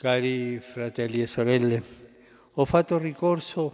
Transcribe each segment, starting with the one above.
Cari fratelli e sorelle, ho fatto ricorso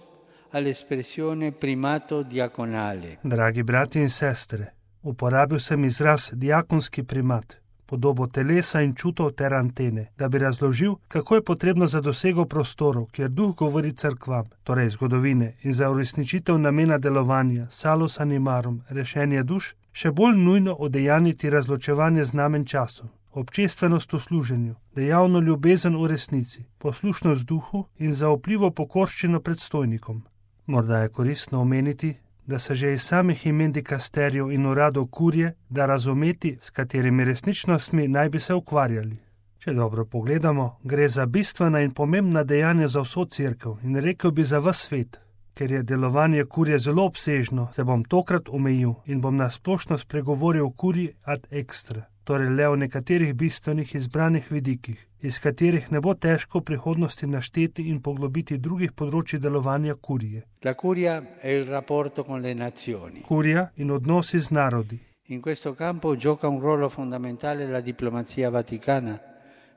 all'espressione primato diaconale. Dragi brati in sestre, uporabil sem izraz diakonski primat, podobo telesa in čutov ter antene, da bi razložil, kako je potrebno za dosego prostorov, kjer duh govori cerkvam, torej zgodovine, in za uresničitev namena delovanja, salus animarum, rešenje duš, še bolj nujno odejaniti razločevanje znamen časov, občestvenost v služenju, dejavno ljubezen v resnici, poslušnost duhu in zaupljivo pokorščino predstojnikom. Morda je koristno omeniti, da se že iz samih imen dikasterijev in uradov kurije da razumeti, s katerimi resničnostmi naj bi se ukvarjali. Če dobro pogledamo, gre za bistvena in pomembna dejanja za vso cerkev in rekel bi za ves svet. Ker je delovanje kurije zelo obsežno, se bom tokrat omejil in bom na splošno spregovoril o kuriji ad extra, torej le o nekaterih bistvenih izbranih vidikih, iz katerih ne bo težko v prihodnosti našteti in poglobiti drugih področji delovanja kurije. La curia è il rapporto con le nazioni. Kurija in odnosi z narodi. In questo campo gioca un ruolo fondamentale la diplomazia vaticana,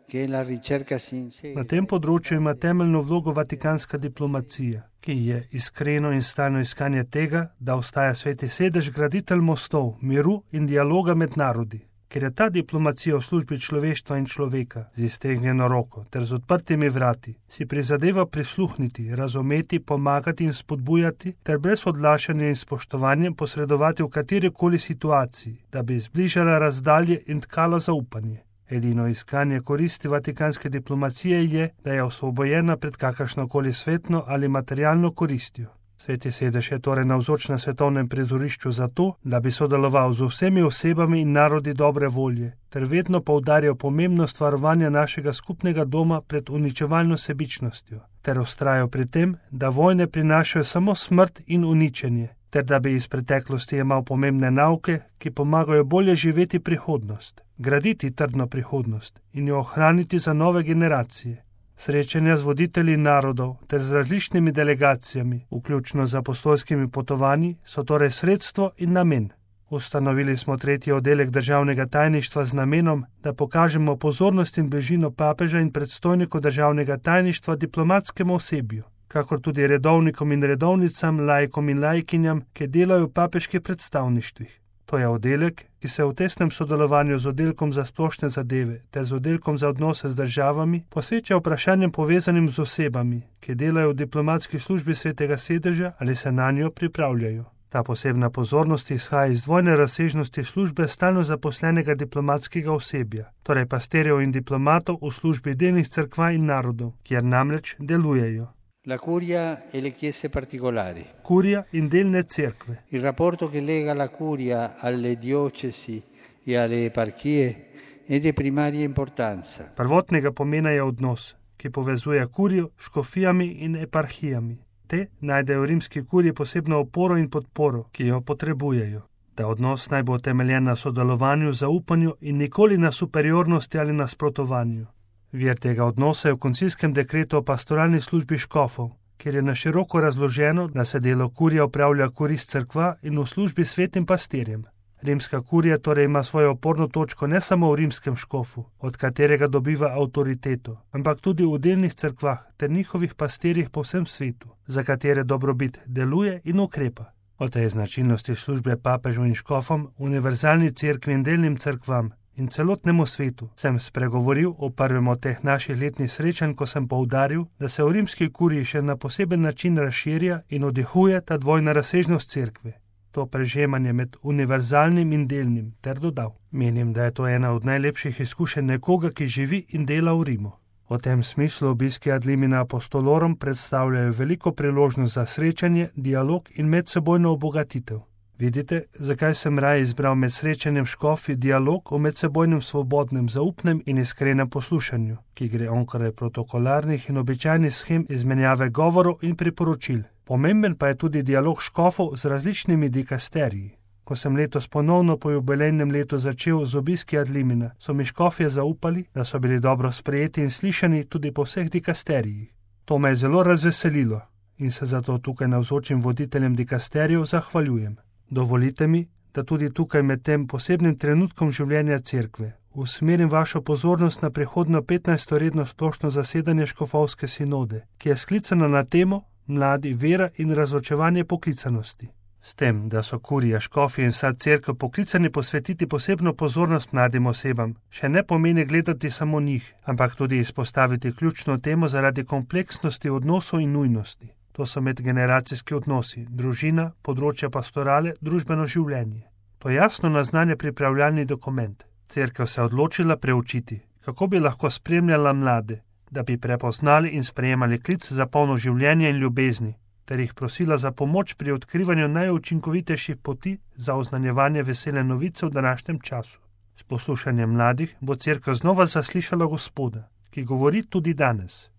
che è la ricerca sincera. Na tem področju ima temeljno vlogo vatikanska diplomacija, ki je iskreno in stalno iskanje tega, da ostaja sveti sedež graditelj mostov, miru in dialoga med narodi. Ker je ta diplomacija v službi človeštva in človeka z iztegnjeno roko ter z odprtimi vrati, si prizadeva prisluhniti, razumeti, pomagati in spodbujati ter brez odlašanja in spoštovanjem posredovati v katerikoli situaciji, da bi zbližala razdalje in tkala zaupanje. Edino iskanje koristi vatikanske diplomacije je, da je osvobojena pred kakršnokoli svetno ali materialno koristjo. Sveti sedež je torej navzoč na svetovnem prizorišču zato, da bi sodeloval z vsemi osebami in narodi dobre volje, ter vedno poudarjal pomembnost varovanja našega skupnega doma pred uničevalno sebičnostjo, ter vztrajal pri tem, da vojne prinašajo samo smrt in uničenje, ter da bi iz preteklosti imel pomembne nauke, ki pomagajo bolje živeti prihodnost, graditi trdno prihodnost in jo ohraniti za nove generacije. Srečanja z voditelji narodov ter z različnimi delegacijami, vključno z apostolskimi potovanji, so torej sredstvo in namen. Ustanovili smo 3. oddelek državnega tajništva z namenom, da pokažemo pozornost in bližino papeža in predstojniku državnega tajništva diplomatskemu osebju, kakor tudi redovnikom in redovnicam, laikom in laikinjam, ki delajo v papeških predstavništvih. To je oddelek, ki se v tesnem sodelovanju z oddelkom za splošne zadeve ter z oddelkom za odnose z državami posveča vprašanjem povezanim z osebami, ki delajo v diplomatski službi svetega sedeža ali se na njo pripravljajo. Ta posebna pozornost izhaja iz dvojne razsežnosti službe stalno zaposlenega diplomatskega osebja, torej pastirjev in diplomatov v službi delnih cerkva in narodov, kjer namreč delujejo. La curia e le chiese particolari. Kurija in delne cerkve. Il rapporto che lega la curia alle diocesi e alle eparchie è di primaria importanza. Prvotnega pomena je odnos, ki povezuje kurijo s škofijami in eparhijami. Te najdejo v rimski kuriji posebno oporo in podporo, ki jo potrebujejo. Ta odnos naj bo utemeljen na sodelovanju, zaupanju in nikoli na superiornosti ali nasprotovanju. Vir tega odnosa je v koncilskem dekretu o pastoralni službi škofov, kjer je na široko razloženo, da se delo kurija opravlja korist cerkva in v službi svetim pastirjem. Rimska kurija torej ima svojo oporno točko ne samo v rimskem škofu, od katerega dobiva avtoriteto, ampak tudi v delnih cerkvah ter njihovih pastirjih po vsem svetu, za katere dobrobit deluje in ukrepa. O tej značilnosti službe papežu in škofom, univerzalni cerkvi in delnim cerkvam in celotnemu svetu sem spregovoril o prvem od teh naših letnih srečanj, ko sem poudaril, da se v rimski kuriji še na poseben način razširja in odihuje ta dvojna razsežnost cerkve. To prežemanje med univerzalnim in delnim, ter dodal. Menim, da je to ena od najlepših izkušenj nekoga, ki živi in dela v Rimu. V tem smislu obiski ad limina apostolorum predstavljajo veliko priložnost za srečanje, dialog in medsebojno obogatitev. Vidite, zakaj sem raje izbral med srečanjem škofi dialog o medsebojnem svobodnem, zaupnem in iskrenem poslušanju, ki gre onkraj protokolarnih in običajnih shem izmenjave govorov in priporočil. Pomemben pa je tudi dialog škofov z različnimi dikasteriji. Ko sem letos ponovno po jubilejnem letu začel z obiski ad limina, so mi škofje zaupali, da so bili dobro sprejeti in slišani tudi po vseh dikasterijih. To me je zelo razveselilo in se zato tukaj navzočim voditeljem dikasterijev zahvaljujem. Dovolite mi, da tudi tukaj med tem posebnim trenutkom življenja cerkve, usmerim vašo pozornost na prihodnjo 15. redno splošno zasedanje škofovske sinode, ki je sklicana na temo Mladi, vera in razločevanje poklicanosti. S tem, da so kurija, škofi in vsa cerkev poklicani posvetiti posebno pozornost mladim osebam, še ne pomeni gledati samo njih, ampak tudi izpostaviti ključno temo zaradi kompleksnosti odnosov in nujnosti. To so medgeneracijski odnosi, družina, področja pastorale, družbeno življenje. To jasno naznanja pripravljalni dokument. Cerkev se je odločila preučiti, kako bi lahko spremljala mlade, da bi prepoznali in sprejemali klic za polno življenje in ljubezni, ter jih prosila za pomoč pri odkrivanju najučinkovitejših poti za oznanjevanje vesele novice v današnjem času. S poslušanjem mladih bo cerkev znova zaslišala Gospoda, ki govori tudi danes.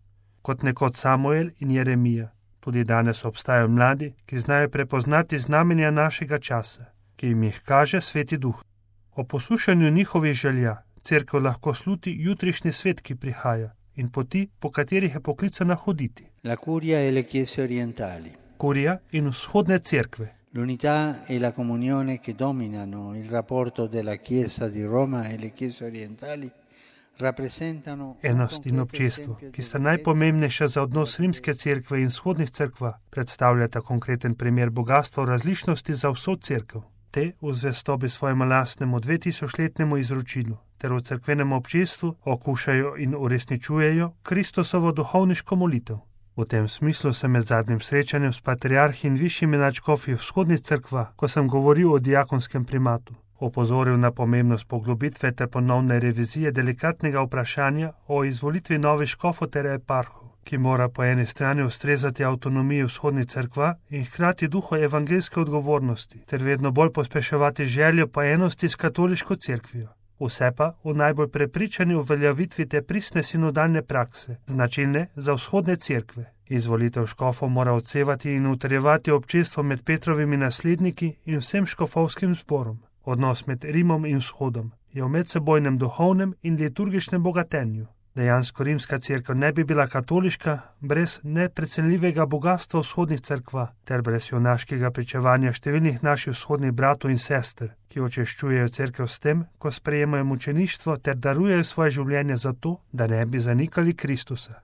Kot nekoč Samuel in Jeremija, tudi danes obstajajo mladi, ki znajo prepoznati znamenja našega časa, ki jim jih kaže Sveti Duh. O poslušanju njihovih želja cerkev lahko sluti jutrišnji svet, ki prihaja, in poti, po katerih je poklicana hoditi. La curia e le chiese orientali. Kurija in vzhodne cerkve. L'unità e la comunione che dominano il rapporto della Chiesa di Roma e le chiese orientali rappresentano Enost in občestvo, ki sta najpomembnejša za odnos rimske cerkve in vzhodnih cerkva, predstavljata konkreten primer bogatstva v različnosti za vso cerkev. Te v zvestobi svojemu lastnemu 2000-letnemu izročilu ter v cerkvenem občestvu okušajo in uresničujejo Kristusovo duhovniško molitev. V tem smislu sem med zadnjim srečanjem s patriarhi in višjimi nadškofi vzhodnih cerkva, ko sem govoril o diakonskem primatu, opozoril na pomembnost poglobitve ter ponovne revizije delikatnega vprašanja o izvolitvi novih škofov ter eparhov, ki mora po eni strani ustrezati avtonomiji vzhodnih cerkva in hkrati duhu evangeljske odgovornosti ter vedno bolj pospeševati željo po enosti s katoliško cerkvijo. Vse pa v najbolj prepričani uveljavitvi te pristne sinodalne prakse, značilne za vzhodne cerkve. Izvolitev škofov mora odsevati in utrjevati občestvo med Petrovimi nasledniki in vsem škofovskim zborom. Odnos med Rimom in vzhodom je v medsebojnem duhovnem in liturgičnem bogatenju. Dejansko rimska cerkev ne bi bila katoliška brez neprecenljivega bogatstva vzhodnih cerkva ter brez junaškega pričevanja številnih naših vzhodnih bratov in sester, ki očeščujejo cerkev s tem, ko sprejemajo mučeništvo ter darujejo svoje življenje za to, da ne bi zanikali Kristusa.